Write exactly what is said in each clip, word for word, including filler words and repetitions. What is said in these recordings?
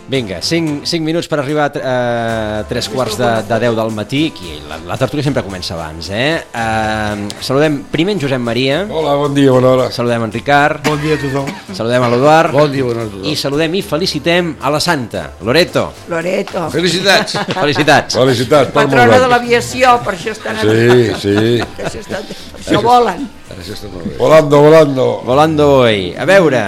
Vinga, cinc, cinc minuts per arribar a uh, tres quarts de, de deu del matí. Aquí, la, la tertúlia sempre comença abans, eh? Uh, saludem primer en Josep Maria. Hola, bon dia, bona hora. Saludem en Ricard. Bon dia a tothom. Saludem a l'Eduard. Bon dia, bona hora a tothom. I saludem i felicitem a la Santa, Loreto. Loreto. Felicitats. Felicitats. Felicitats. Patrona de l'aviació, per això estan a Sí, sí. Per això, estan, per això volen. Volando, volando. Volando hoy. A veure,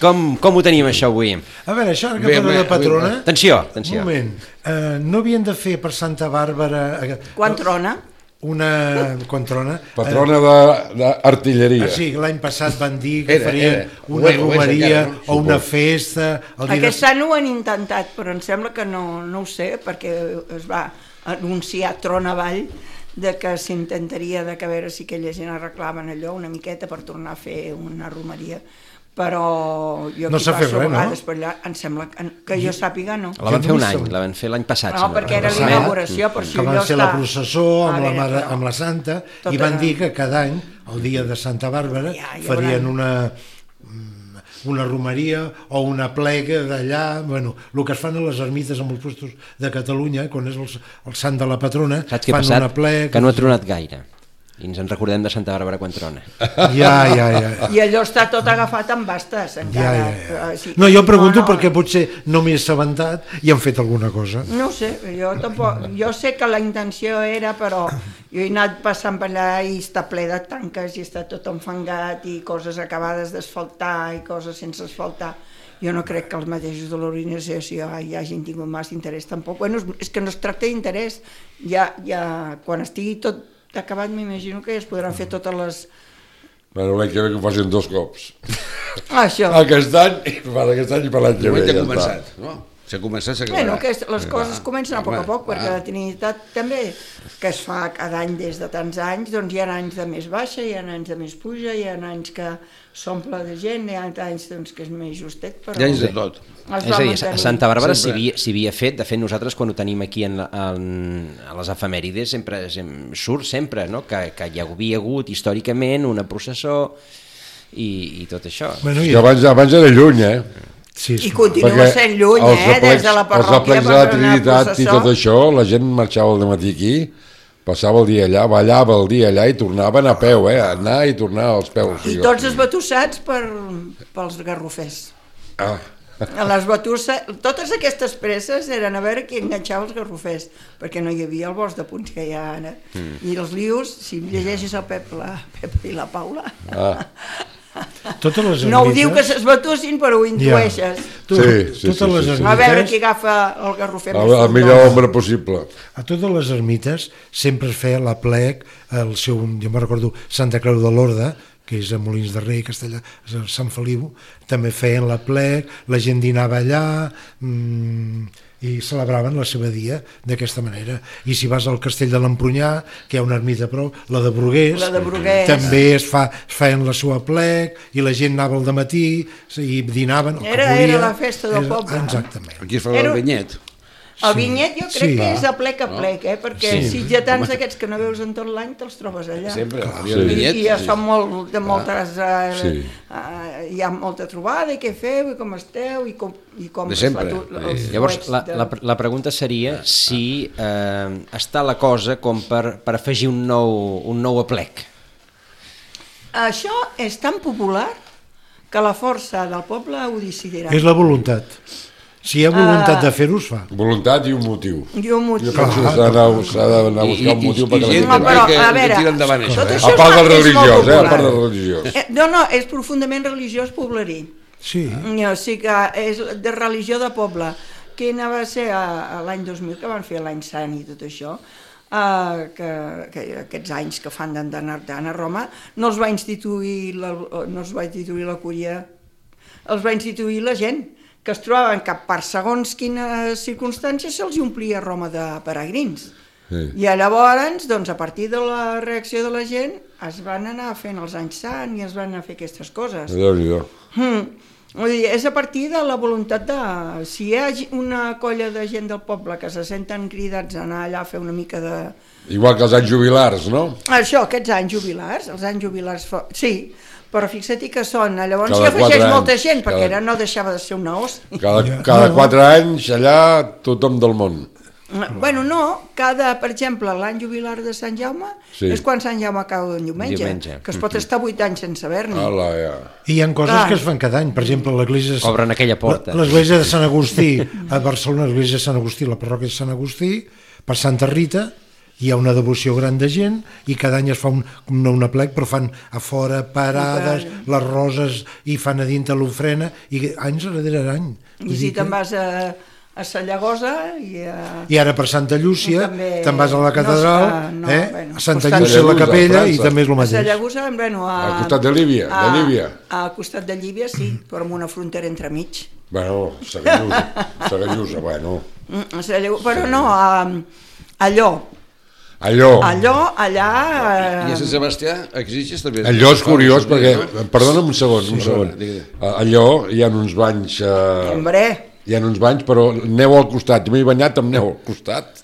com, com ho tenim això avui? A veure, això ara que Bé, parla bé, de patrona... Atenció, Un atenció. moment. Uh, no havien de fer per Santa Bàrbara... Uh, Quan trona? Una... Quan trona? Patrona d'artilleria. Uh, sí, l'any passat van dir que Era, farien era. una Ho és, ho és romeria encara, no? o una Suposo. festa... El dia Aquest any ho han intentat, però em sembla que no, no ho sé, perquè es va anunciar tron avall de que s'intentaria de que a veure si aquella gent arreglaven allò una miqueta per tornar a fer una romeria, però jo No aquí s'ha fet passo a res, no? vegades per allà, em sembla que, que jo sàpiga no. La van fer un any, Jo no la van fer l'any passat. No, si no perquè era recordo la malament. inauguració, per que això van allò fer està... la processó A amb, la, veure, mare, però- amb la Santa Tot i van era- dir que cada any, el dia de Santa Bàrbara, Ja, ja farien veuran. una una romeria o una plega d'allà, bueno, el que es fan a les ermites en els puestos de Catalunya, quan és el, el sant de la patrona, Saps què ha fan passat? una plega... Que no ha tronat gaire. I ens en recordem de Santa Bàrbara quan trona. Ja, ja, ja. I allò està tot agafat amb bastes, Ja, encara. ja, ja. Eh, sí. No, jo pregunto No, no, perquè potser no m'he assabentat i han fet alguna cosa. No ho sé, jo tampoc, jo sé que la intenció era, però jo he anat passant per allà i està ple de tanques i està tot enfangat i coses acabades d'asfaltar i coses sense asfaltar. Jo no crec que els mateixos de l'organització hi hagin tingut massa interès tampoc. Bueno, és que no es tracta d'interès, ja, ja quan estigui tot acabat m'imagino que ja es podran fer totes les... Bueno, l'any que ve que ho facin dos cops. Ah, això. Aquest any, i per aquest any i per l'any que ve. Moment Ja ha està. començat, no? S'ha començat, s'acabarà. Bueno, que les coses Ah, comencen a poc a home, poc, perquè ah. la Trinitat també, que es fa cada any des de tants anys, doncs hi ha anys de més baixa, hi ha anys de més puja, hi ha anys que s'omple de gent, hi ha anys doncs, que és més justet, però... Hi ha anys de tot. Es És va a dir, a mantenir. Santa Bàrbara s'hi Sempre. havia, s'hi havia fet, de fet nosaltres quan ho tenim aquí en, la- en, a les efemèrides sempre, sempre surt sempre, no? que, que hi havia hagut històricament una processó i, i tot això. Bueno, I abans, abans era lluny, eh? sí, I sí. continua Perquè sent lluny, els eh, des de la aplecs- parròquia Els aplecs de per la fer una Trinitat i processó. tot això, la gent marxava al matí aquí, passava el dia allà, ballava el dia allà i tornaven a peu, eh? A anar i tornar als peus. I tots esbatussats per, pels garrofers. Ah, A les batusses, totes aquestes presses eren a veure qui enganxava els garrofers, perquè no hi havia el bosc de punts que hi ha ara. Mm. I els lius, si llegeixes el Pep, la, Pep i la Paula, ah. Totes les no ho diu que ermites- s'esbatussin, però ho intueixes. Tu- Sí, sí, totes sí, les sí, sí. A veure ermites- qui agafa el garrofer El, més el fort. millor hombre possible. A totes les ermites sempre es feia la plec, el seu, jo me'n recordo, Santa Creu de l'Orde, que és a Molins de Rei, Castellà, a Sant Feliu, també feien la plec, la gent dinava allà, mmm, i celebraven la seva dia d'aquesta manera. I si vas al castell de l'Empunyà, que hi ha una ermita a prop, la de Bruguers, La de Bruguers. també es, fa, es feien la seva plec, i la gent anava al dematí, i dinaven, el que Era- volia. era la festa del Era- poble. Exactament. Aquí es fa Era- el vinyet. El vinyet jo crec Sí. que és a plec a plec, eh? perquè Sí. sitgetans d'aquests que no veus en tot l'any te'ls trobes allà. Sempre. Sí. El I, vinyet. i ja són molt, de moltes... Eh, Sí. eh, hi ha molta trobada, i què feu, i com esteu, i com, i com De sempre. els Llavors, fuets la, de- la, la pregunta seria si eh, està la cosa com per, per afegir un nou, un nou aplec. Això és tan popular que la força del poble ho decidirà. És la voluntat. Si hi ha voluntat de fer-ho, es fa. Voluntat i un motiu. I un motiu. Jo penso que s'ha d'anar s'ha d'anar a I- buscar un i- motiu i perquè la gent gent... Home, però, que- a que veure, tira endavant això, tot eh? això A és part del molt- és molt religiós, eh? A popular. part del religiós. Eh, no, no, és profundament religiós poblerí. Sí. O sigui que és de religió de poble. Quina va ser a, a l'any dos mil, que van fer l'any sant i tot això, uh, que, que aquests anys que fan d'anar a Roma, no els va instituir la, no els va instituir la cúria, els va instituir la gent, que es trobaven que per segons quines circumstàncies se'ls omplia Roma de peregrins. Sí. I llavors, doncs, a partir de la reacció de la gent, es van anar fent els anys sant i es van anar a fer aquestes coses. Déu-n'hi-do. Mm. Vull dir, és a partir de la voluntat de... Si hi ha una colla de gent del poble que se senten cridats a anar allà a fer una mica de... Igual que els anys jubilars, no? Això, aquests anys jubilars, els anys jubilars... Fo... Sí, però fixa't que són... Llavors Cada hi afegeix quatre molta anys, gent, perquè cada- era, no deixava de ser una os. Cada, cada quatre anys allà tothom del món. Bueno, no, cada, per exemple, l'any jubilar de Sant Jaume Sí. és quan Sant Jaume cau en diumenge, Diumenge. que es pot estar vuit anys sense haver-n'hi. Hola, ja. I hi ha coses Clar. que es fan cada any, per exemple, l'església... de- Obren aquella porta. L'església de Sant Agustí, a Barcelona, l'església de Sant Agustí, la parròquia de Sant Agustí, per Santa Rita, hi ha una devoció gran de gent i cada any es fa un, no un aplec, però fan a fora parades, les roses, i fan a dintre l'ofrena, i anys darrere any. Vull I si dir que- te'n vas a, a Sallagosa i a... I ara per Santa Llúcia, També te'n vas a la no catedral, es fa, no, eh? bueno, a Santa costat- Llúcia a la Sallagosa, capella, a i França. també és el A mateix. Sallagosa, bueno, a... Al costat de Líbia, de a- Líbia. Al costat de Llívia, sí, però amb una frontera entremig. Bueno, Sagallusa, Sagallusa, bueno. Mm, a Sallagosa, però no, a, allò, Allò, allò, allà... I a Sant Eh, Sebastià exigis també... allò és curiós perquè, perdona'm un segon, un Sí, segon. digui. Allò hi ha uns banys, eh, hombre, hi ha uns banys, però neu al costat. Jo m'he banyat amb neu al costat.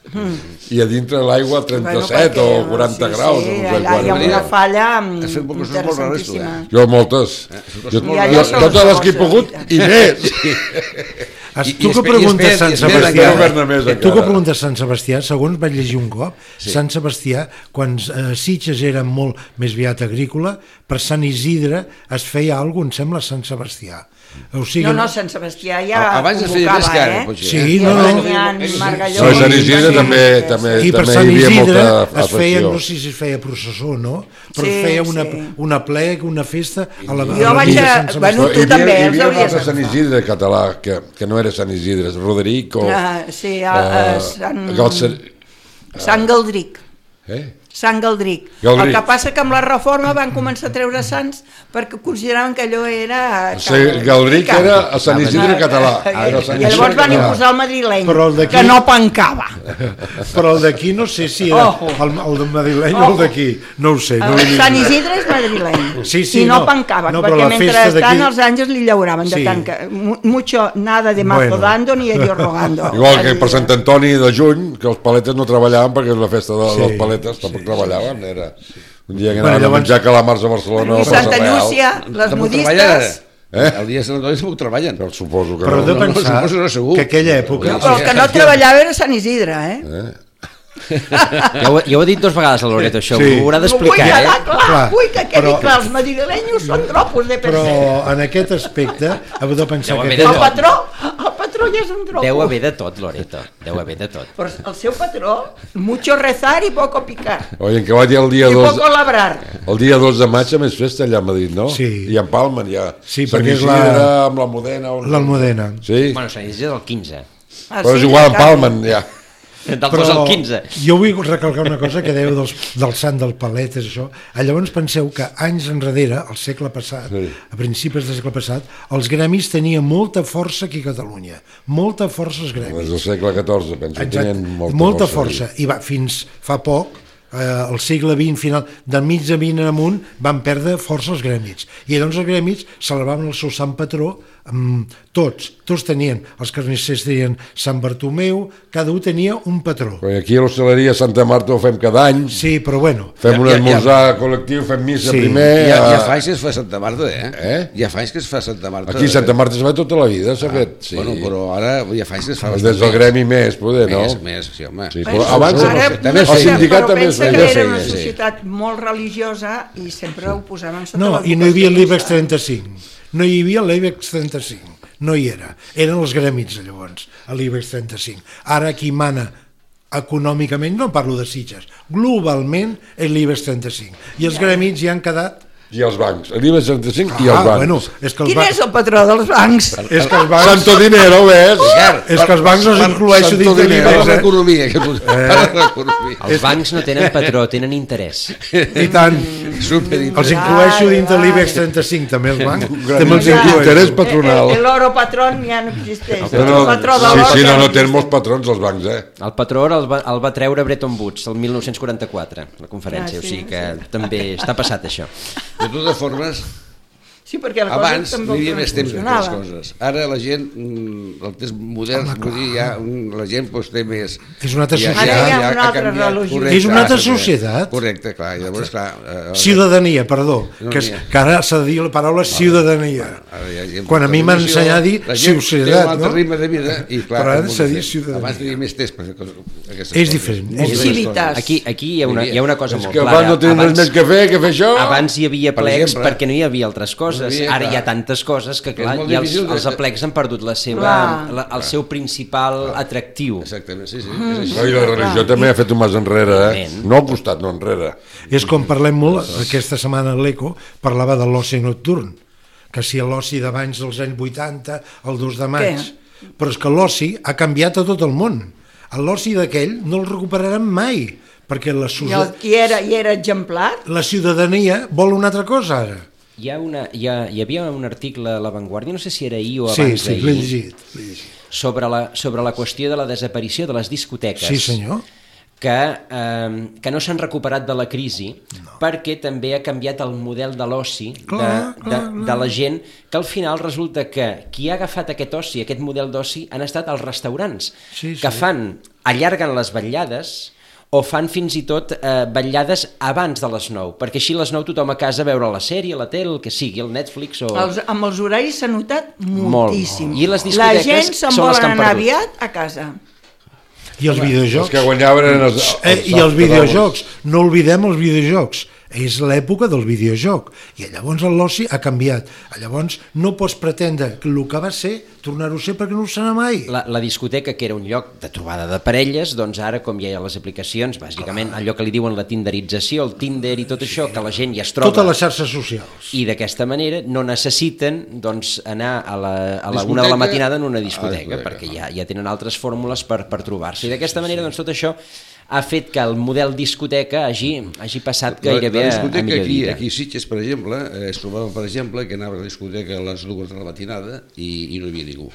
I a dintre l'aigua trenta-set perquè, o quaranta sí, graus. Sí, no sé allà hi ha quant. una falla Has fet coses molt rares, tu, eh? interessantíssima. Jo moltes. Jo, I allò jo, són totes les les que he coses, pogut i i més. Has, I- tu i que espe- i preguntes espera, Sant i espera, Sebastià, encara governa més, tu que encara. preguntes Sant Sebastià, segons vaig llegir un cop, sí. Sant Sebastià, quan eh, Sitges era molt més aviat agrícola, per Sant Isidre es feia alguna cosa, em sembla, a Sant Sebastià. O sigui, No, no, Sant Sebastià ja Abans es feia més convocava, car, eh? potser. Sí, Ja no, no. venien Margalló. No, a Sant Isidre i- també, també, I per també Sant hi havia Isidre molta es feia, afecció. no sé si es feia processó, no? Però Sí, es feia una, sí. una plec, una festa a la, a Jo la vaig vila de a- Sant Sebastià. bueno, Però tu hi havia, també, hi els havia un hauries altre Sant agafat. Isidre català, que, que no era Sant Isidre, és Roderic o... Ah, sí, a, a eh, Sant, que el ser- Sant Galdric. Eh? Sant Galdric. Galdric. El que passa que amb la reforma van començar a treure sants perquè consideraven que allò era... O sigui, Galdric era a Sant Isidre català. Era Sant I llavors Isidre van català. imposar el madrileny, Però el d'aquí- que no pencava. Però el d'aquí no sé si era Ojo. el, el de madrileny o el d'aquí, no ho sé. No El li- Sant Isidre és madrileny. Sí, sí, I no, no. pencava, No, però perquè la festa mentrestant d'aquí- els àngels li llauraven de Sí. tant que mu- mucho nada de mazo Bueno. dando ni ellos rogando. Igual que per Sant Antoni de juny, que els paletes no treballaven perquè és la festa de, Sí, dels paletes, tampoc sí, treballaven. Era un dia que Bueno, anaven a llavors- menjar calamars a Barcelona. I a Plaça Santa Real. Llúcia, les Tampoc treballen, modistes... Eh? El dia de Sant Antoni tampoc treballen. Però suposo que Però no. de no, no, pensar suposo no, segur. que aquella època... No, però el que no treballava era Sant Isidre, eh? Eh? Ja ho, ja ho he dit dues vegades a Loreto, això, Sí. ho haurà No vull d'explicar, quedar eh? clar, Clar, vull que quedi però- clar, els madrilenyos són dropos de Però percebe. en aquest aspecte heu de pensar Deu que... haver de El aquella- tot. patró, el patró ja és un dropo. Deu haver de tot, Loreto, deu haver de tot. Però el seu patró, mucho rezar i poco picar. Oi, en què va dir el dia I dos... poco labrar. El dia dos de maig a més festa allà a Madrid, no? Sí. I en Palmen ja. Sí, Sant perquè és Isidre la- amb l'Almudena. on- L'Almudena. Sí, Bueno, Sant Isidre del quinze, Ah, però és sí, igual en encara. Palmen, ja. del dos al quinze. jo vull recalcar una cosa que dèieu dels, del sant del Paletes, això. Ah, llavors penseu que anys enrere, al segle passat, Sí. a principis del segle passat, els gremis tenien molta força aquí a Catalunya. Molta força els Des gremis. del segle catorze, penso. Exacte. Tenien molta, molta força. força. I va, fins fa poc, eh, al segle vint, final, del mig de vint en amunt, van perdre força els gremis. I llavors els gremis celebraven el seu sant patró, amb tots, tots tenien, els carnissers tenien Sant Bartomeu, cada un tenia un patró. Perquè aquí a l'hostaleria Santa Marta ho fem cada any, Sí, però bueno, fem Ja- un ja- esmorzar col·lectiu, fem missa Sí. primer... Ja, ja eh, fa anys que es fa Santa Marta, eh? Eh? Ja fa anys que es fa Santa Marta. Aquí a Santa Marta es fa tota la vida, s'ha fet. Sí. Bueno, però ara ja fa anys que es fa Des bastant del gremi més, poder, no? Més, més, sí, home. Sí, Bueno, però abans ara, el, també el feia, sindicat però també es pensa feia. que feia, era una sí. societat molt religiosa i sempre ho posaven sota no, la i no hi havia vocació l'IBEX de- trenta-cinc. No hi havia l'IBEX trenta-cinc. No hi era. Eren els gremis, llavors, a l'IBEX trenta-cinc. Ara qui mana econòmicament, no parlo de Sitges, globalment és l'IBEX trenta-cinc. I els gremis ja han quedat... I els bancs. L'IBEX trenta-cinc i Ah, els bancs. bueno, és que els Quin bancs... és el patró dels bancs? És que els bancs... Santo dinero, ves? És que els bancs no s'incloeixen Santo dins de dinero. Parla l'IBEX, eh? d'economia, que tu... Parla d'economia. Els bancs no tenen patró, tenen interès. I tant. Superinteressant. Els incloeixo dins de Vale, l'IBEX vale. trenta-cinc, també els bancs. gran També els interès incloeixo. patronal. El, el oro patrón ja no existeix. No, no, el patró de sí, l'or sí, ja no, no existeix. tenen molts patrons els bancs, eh? El patró el va, el va treure Bretton Woods el mil nou-cents quaranta-quatre, la conferència, Ah, sí, o sigui que sí. també està passat això. De totes formes, Sí, perquè les abans coses hi també havia més temps d'aquestes funcionaven. coses. Ara la gent, mm, el temps modern, Home, vull dir, ja, mm, la gent doncs, té més... És una altra ja- societat. ja- Ara hi ha ja una ha altra canviat, religió. correcte, És una altra exacte. societat. Correcte, clar, i llavors, clar... eh, Ciutadania, perdó, No que, és, n'hi ha. que ara s'ha de dir la paraula ciutadania. Ara hi ha gent Quan a mi m'han tradició, ensenyat a dir la gent societat, té un altre no? ritme de vida i clar... Però ara és molt s'ha de dir diferent. ciutadania. Abans tenia més temps per fer coses, aquestes És coses. diferent, és Moltes Civilitas. coses. Aquí, aquí hi, ha una, hi ha una cosa És molt que clara. abans no tenen res més que fer que fer això. Abans hi havia Per plecs exemple. perquè no hi havia altres coses. No hi havia, Ara hi ha clar. tantes coses que, Que és clar, molt i els, difícil de- els aplecs han perdut la seva, Clar. la, el seu principal atractiu. Exactament, sí, sí. Mm. És així. No, i la religió també ha fet un pas enrere, eh? Evident. No al costat, no enrere. És com parlem molt, aquesta setmana a l'Eco parlava de l'oci nocturn, que si l'oci d'abans dels anys vuitanta, el dos de maig, Què? però és que l'oci ha canviat a tot el món. L'oci d'aquell no el recuperarem mai, perquè la, I el ciuda... qui era, i era exemplar, la ciutadania vol una altra cosa ara. Hi, ha una, hi, ha, hi havia un article a La Vanguardia, no sé si era ahir o Sí, abans sí, l'he d'ahir, llegit, l'he llegit. sobre, la, sobre la qüestió de la desaparició de les discoteques. Sí, senyor. que, eh, que no s'han recuperat de la crisi no. perquè també ha canviat el model de l'oci de, Clar, de, clar, de la gent, que al final resulta que qui ha agafat aquest oci, aquest model d'oci, han estat els restaurants, Sí, sí. que fan, allarguen les vetllades o fan fins i tot eh, vetllades abans de les nou, perquè així a les nou tothom a casa a veure la sèrie, la tele, el que sigui, el Netflix o... els, amb els horaris s'ha notat Molt. moltíssim. I les La discoteques gent se'n són les volen que han anar perdut. aviat a casa. I els videojocs. Els que guanyaven eren els, els Eh, I els videojocs, no oblidem els videojocs. És l'època del videojoc i llavors l'oci ha canviat. Llavors no pots pretendre que el que va ser tornar-ho a ser perquè no ho serà mai. La, la discoteca, que era un lloc de trobada de parelles, doncs ara, com ja hi ha les aplicacions, bàsicament allò que li diuen la tinderització, el Tinder i tot això, que la gent ja es troba... Totes les xarxes socials. I d'aquesta manera no necessiten doncs, anar a la, a la Discoteca. una de la matinada en una Ah, discoteca, discoteca, perquè no. ja, ja tenen altres fórmules per, per trobar-se. I d'aquesta manera doncs, tot això ha fet que el model discoteca hagi, hagi passat gairebé la, la a, a discoteca millor aquí, vida. aquí a Sitges, per exemple, eh, es trobava, per exemple, que anava a la discoteca a les dues de la matinada i, i no hi havia ningú.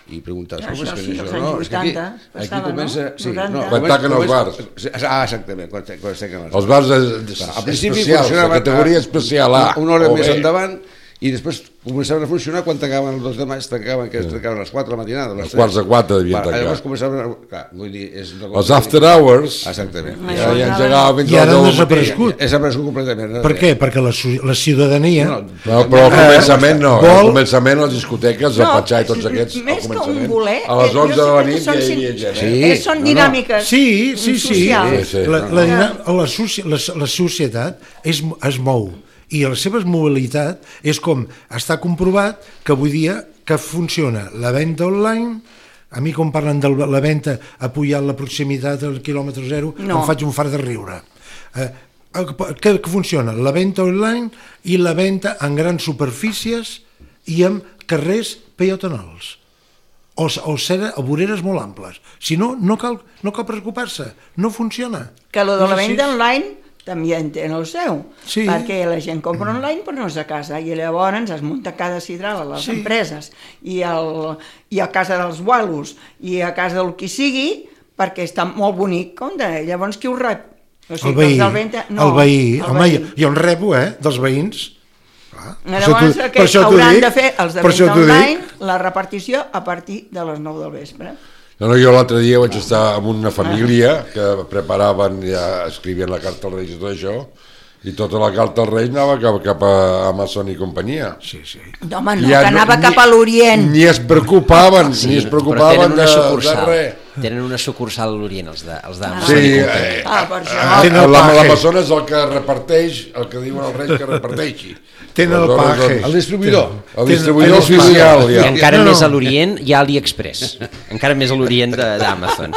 I preguntaves, com Això és que sí, és als això? anys No, és que aquí, vuitanta aquí passava, comença... no? Sí, noranta. no, Quan comença- taquen els comença- Ah, exactament, quan, quan taquen els Els bars de, de, Al principi especials, de funcionava categoria especial A. una, una hora o més B. endavant i després començaven a funcionar quan tancaven el dos de maig, tancaven, que es tancaven a les quatre de la matinada. a les Els quarts de tres. quatre devien Va, tancar. Llavors començaven a... Clar, vull dir, és una cosa Els after hours Exactament. Ai, ja, ja Això engegava fins I a ara les han deu del matí. desaparegut. És desaparegut completament. Per què? Perquè la, su- la ciutadania... No, No, però al començament no, Vol- al començament les discoteques, el Patxà i tots aquests, al més que un començament, voler, a les jo onze de sé la que nit són ja hi sin- havia gent. Sí. Eh? Eh, són no, no. dinàmiques Sí, sí, sí. socials. Sí, sí. La, No, la, no. la, soci- la, la societat es, es mou i la seva mobilitat és com està comprovat que avui dia que funciona la venda online. A mi quan parlen de la venda ha pujat la proximitat al quilòmetre zero, No. em faig un fart de riure. Eh, que, que funciona la venda online i la venda en grans superfícies i en carrers peatonals o, o, ser, o voreres molt amples. Si no, no cal, no cal preocupar-se, no funciona. Que lo de la És així. venda online també entén el seu, Sí. perquè la gent compra online però no és a casa, i llavors es munta cada sidral a les Sí. empreses, i, el, i a casa dels gualos, i a casa del qui sigui, perquè està molt bonic, com de... Llavors qui ho rep? O El veí, els del venda- el veí, el home, veí. jo, jo en rebo, eh, dels veïns. Clar. Llavors Per això t'ho- que per això t'ho hauran dic, de fer els de per això venda t'ho dic. online, la repartició a partir de les nou del vespre. No, no, jo l'altre dia vaig estar amb una família que preparaven, ja escrivien la carta als Reis i tot això, i tota la carta als Reis anava cap, cap a Amazon i companyia. Sí, sí. Home, no, Ja que anava ni- cap a l'Orient. Ni es preocupaven, Sí, ni es però preocupaven tenen de, una de sucursal. res. Tenen una sucursal a l'Orient, els de, els de Ah. Sí, eh, Ah, per això. Ah, Tenen el la- paje. L'Amazon és el que reparteix, el que diuen els Reis que reparteixi. Tenen el Aleshores, paje. El distribuïdor. El Tenen- distribuïdor el oficial, I ja. encara No, no. més a l'Orient hi ha AliExpress. Encara més a l'Orient de- d'Amazon.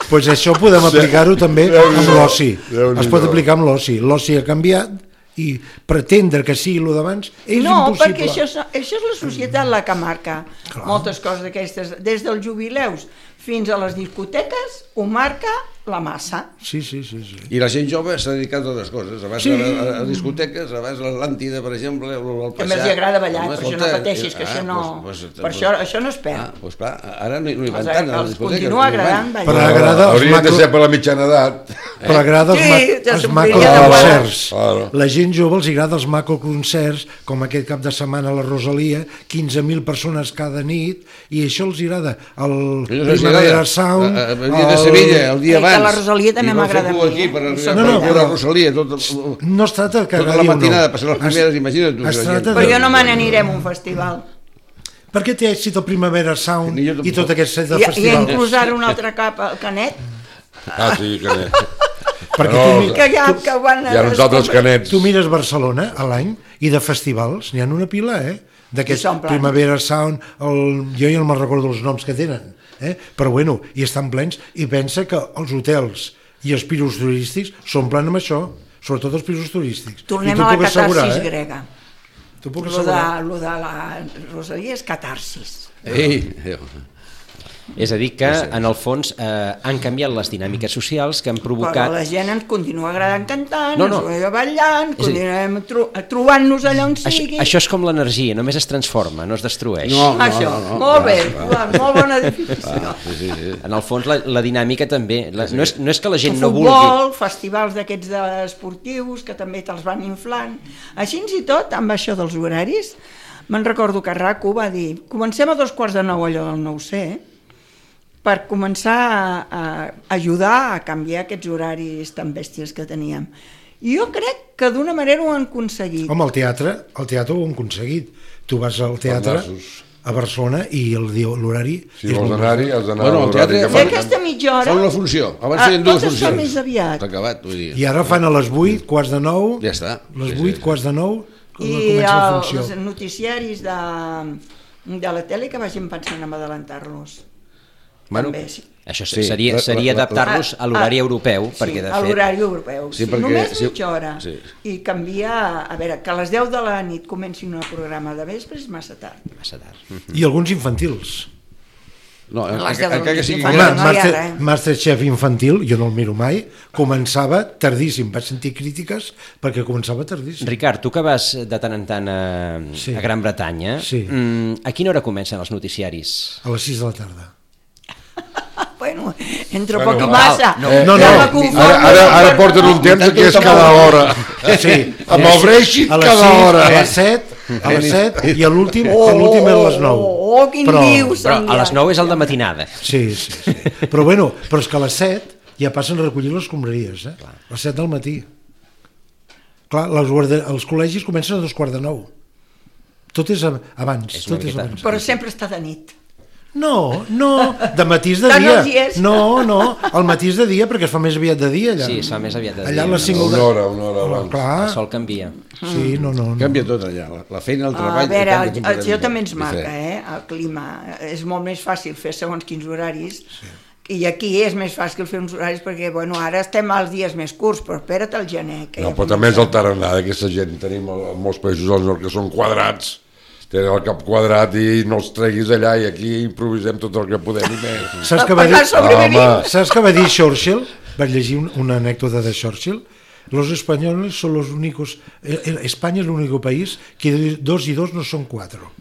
Pues això podem aplicar-ho també amb l'oci. Déu-n'hi-do. Es pot aplicar amb l'oci. L'oci ha canviat i pretendre que sigui el d'abans és No, impossible. perquè això, és- això és la societat la que marca moltes coses d'aquestes. Des dels jubileus fins a les discoteques ho marca la massa. Sí, sí, sí, sí. I la gent jove s'ha dedicat a altres coses. Abans Sí. a, a, a discoteques, abans a l'Atlàntida, per exemple, o al Que passar... més li agrada ballar, Home, per això no escolta, pateixis, que ah, això no... Pues, pues, per això, això no es Ah, perd. doncs clar, ara no, no hi van Els- tant a les els discoteques. continua no hi van. agradant ballar. Però agrada els Haurien de macro... ser per la mitjana edat. Però agrada els, Sí, ma... ja els s'ompliria de macroconcerts. Claro. La gent jove els agrada els macroconcerts, com aquest cap de setmana a la Rosalia, quinze mil persones cada nit, i això els agrada. El Ells els Primavera agrada. Sound... A- a- Venir de Sevilla el dia Eh, que abans. la Rosalia també I no m'agrada fer a cua mi, aquí eh? per arribar No, no, per veure però- Rosalia. Tot, No es tracta que tota agradi la o no. matinada, passar les Es- primeres, imagina't. tu, es la tracta gent. de- Però jo no me n'anirem a un festival. Per què té èxit el Primavera Sound Ni jo tampoc. i tot aquest set de I, i festivals? inclús ara un altre cap al Canet, Ah, sí, canet. Perquè No, tu, mi- que ja que van... Hi ha uns altres canets. tu mires Barcelona a l'any i de festivals n'hi ha una pila, eh? D'aquest I són plans. Primavera Sound, el... jo ja no me'n recordo els noms que tenen, eh? Però bueno, i estan plens, i pensa que els hotels i els pisos turístics s'omplen amb això, sobretot els pisos turístics. Tornem I t'ho a la puc assegurar, catarsis eh? grega. T'ho puc Lo de, assegurar. lo de la Rosalia és catarsis. Ei, És a dir, que en el fons eh, han canviat les dinàmiques socials que han Però provocat... la gent ens continua agradant cantant, No, no, no. ens va ballant, És a dir- continuem tro trobant-nos allà on Això, sigui. això és com l'energia, només es transforma, no es destrueix. No, no, Això, no, no. molt bé, Joan, molt bona definició. sí, sí, sí. En el fons la, la dinàmica també, la, no, és, no és que la gent El no vulgui... futbol, festivals d'aquests esportius que també te'ls van inflant. Així i tot, amb això dels horaris, me'n recordo que RACU va dir comencem a dos quarts de nou allò del nou C per començar a, a ajudar a canviar aquests horaris tan bèsties que teníem. I jo crec que d'una manera ho han aconseguit. Home, el teatre, el teatre ho han aconseguit. Tu vas al teatre nassos. a Barcelona i el dia- l'horari... Si és vols molt anar-hi, has d'anar Bueno, a el l'horari teatre- que I fan. aquesta mitja hora... Fa una funció. Abans Ah, feien dues tot es fa funcions. més aviat. Està acabat, vull dir. I ara fan a les vuit, quarts de nou, Ja està. les Sí, vuit, sí. quarts de nou, I comença la el, funció. els noticiaris de, de la tele que vagin pensant en adelantar-los. Bueno, També, sí. això Sí, seria, la- seria la- la- adaptar-los a l'horari Ah, europeu, sí, perquè de a fet... l'horari europeu. Sí, Sí, perquè- només sí, mitja hora. sí. I canviar... A veure, que a les deu de la nit comencin un programa de vespre és massa tard. Massa tard. I alguns infantils. No, A les encara deu del encara que sigui... matí. Home, no hi ha Master, res. Masterchef infantil, jo no el miro mai, començava tardíssim. Vaig sentir crítiques perquè començava tardíssim. Ricard, tu que vas de tant en tant a, Sí. a Gran Bretanya, Sí. mm, a quina hora comencen els noticiaris? A les sis de la tarda. Bueno, entre Bueno, poc i no, massa. no, Eh, no, Ja no, me confondo. Ara, ara, ara porten un temps que és cada hora. Sí, Amb el Brexit a les cada sis, hora. a les set, a les set i a l'últim Oh, a l'últim és a les nou. oh, oh, quin dius. Però a les nou és el de matinada. Sí, sí, sí. Però bueno, però és que a les set ja passen a recollir les escombraries, eh? A les set del matí. Clar, les guarda... els col·legis comencen a dos quarts de nou. Tot és ab- abans, És una tot és miqueta- abans. Però sempre està de nit. No, no, de matí és de Tant dia. els hi és. No, no, el matí és de dia perquè es fa més aviat de dia allà. Sí, es fa més aviat de allà dia, a les no? cinc Una de- hora, una hora Home, abans. clar, El sol canvia. sí, no, no, no. Canvia tot allà, la, la feina, el treball... A veure, canvia el, el completament geo tot. també ens marca, Diferent. eh? El clima. És molt més fàcil fer segons quins horaris. I aquí és més fàcil fer uns horaris perquè, bueno, ara estem als dies més curts, però espera't al gener. Que No, ja però també és comença. el tarannà d'aquesta gent. Tenim el- molts països al nord que són quadrats, tenen el cap quadrat i no els treguis allà i aquí improvisem tot el que podem i més. Saps què va dir? Per sobrevivir. Home. ¿Sabes qué va a decir Churchill? Vaig llegir un- una anécdota de Churchill. Los españoles son los únicos... eh, eh, España es el único país que dos y dos no son cuatro.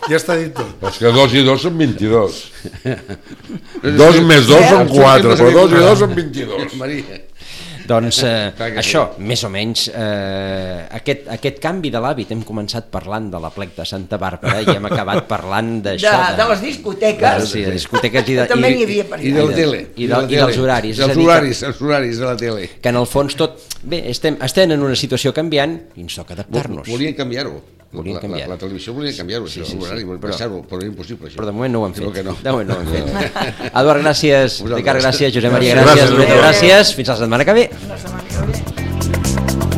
Ja està dit tot. Però és que dos i dos són vint-i-dos. Dos més dos són quatre, però dos i dos són vint-i-dos. Maria. Doncs eh, Clar que això, més o menys, eh, aquest, aquest canvi de l'hàbit, hem començat parlant de la plec de Santa Bàrbara i hem acabat parlant De, d'això. de les discoteques. De, sí, de discoteques i, de, També i, n'hi havia per I allà. de la tele. I de- i dels horaris, és a Els dir que- horaris, els horaris de la tele. que en el fons tot... Bé, estem, estem en una situació canviant i ens toca adaptar-nos. Volien canviar-ho. Volien La, canviar. la, la televisió volien canviar-ho, Sí, això, sí, sí, l'horari, volien però- passar-ho, però era impossible, això. Però de moment no ho han fet. Diu que no. De moment no ho han fet. Eduard, gràcies. Vosaltres. Ricard, gràcies. Josep Maria, Gràcies. gràcies. Gràcies. Núria, gràcies. Fins la setmana que ve. La setmana que ve.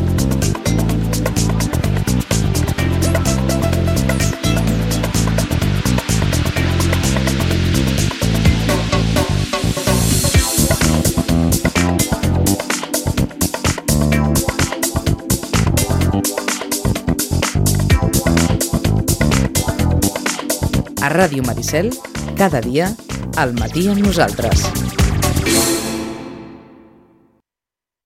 A Ràdio Maricel, cada dia, al matí amb nosaltres.